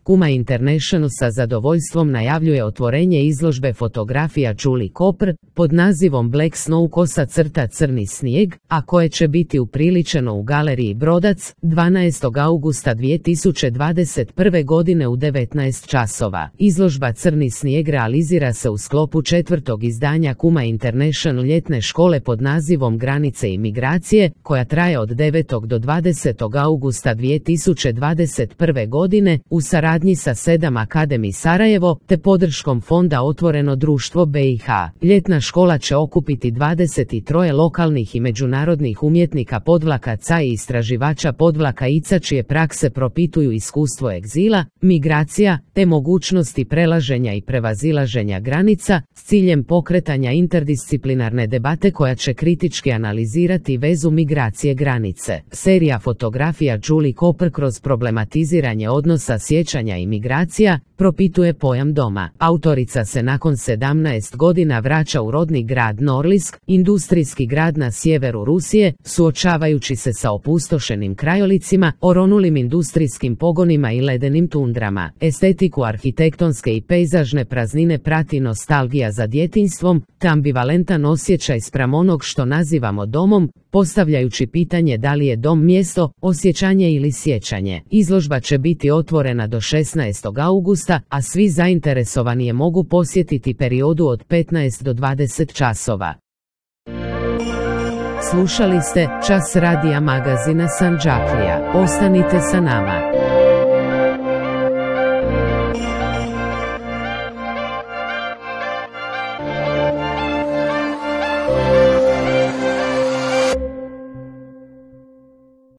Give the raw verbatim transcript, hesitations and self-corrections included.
Kuma International sa zadovoljstvom najavljuje otvorenje izložbe fotografija Julie Cooper pod nazivom Black Snow kosa crta crni snijeg, a koje će biti upriličeno u galeriji Brodac dvanaestog augusta dvije tisuće dvadeset prve godine u devetnaest časova. Izložba Crni snijeg realizira se u sklopu četvrtog izdanja Kuma International ljetne škole pod nazivom Granice i migracije, koja traje od devetog do dvadesetog augusta dvije tisuće dvadeset prve godine u saradnji sa sedam Academy Sarajevo te podrškom fonda Otvoreno društvo B i H. Ljetna škola će okupiti dvadeset tri lokalnih i međunarodnih umjetnika podvlakaca i istraživača podvlakaica čije prakse propituju iskustvo egzila, migracija te mogućnosti prelaženja i prevazilaženja granica s ciljem pokretanja interdisciplinarne debate koja će kritički analizirati vezu migracije granice. Serija fotografija Julie Cooper kroz problematiziranje odnosa sjećanja i migracija propituje pojam doma. Autorica se nakon sedamnaest godina vraća u rodni grad Norlisk, industrijski grad na sjeveru Rusije, suočavajući se sa opustošenim krajolicima, oronulim industrijskim pogonima i ledenim tundrama. Estetiku arhitektonske i pejzažne praznine prati nostalgija za djetinjstvom, te ambivalentan osjećaj spram onog što nazivamo domom, postavljajući pitanje da li je dom mjesto, osjećanje ili sjećanje. Izložba će biti otvorena do šesnaestog augusta, a svi zainteresovani je mogu posjetiti periodu od petnaest do dvadeset časova. Slušali ste Čas radija magazina Sandžaklija. Ostanite sa nama.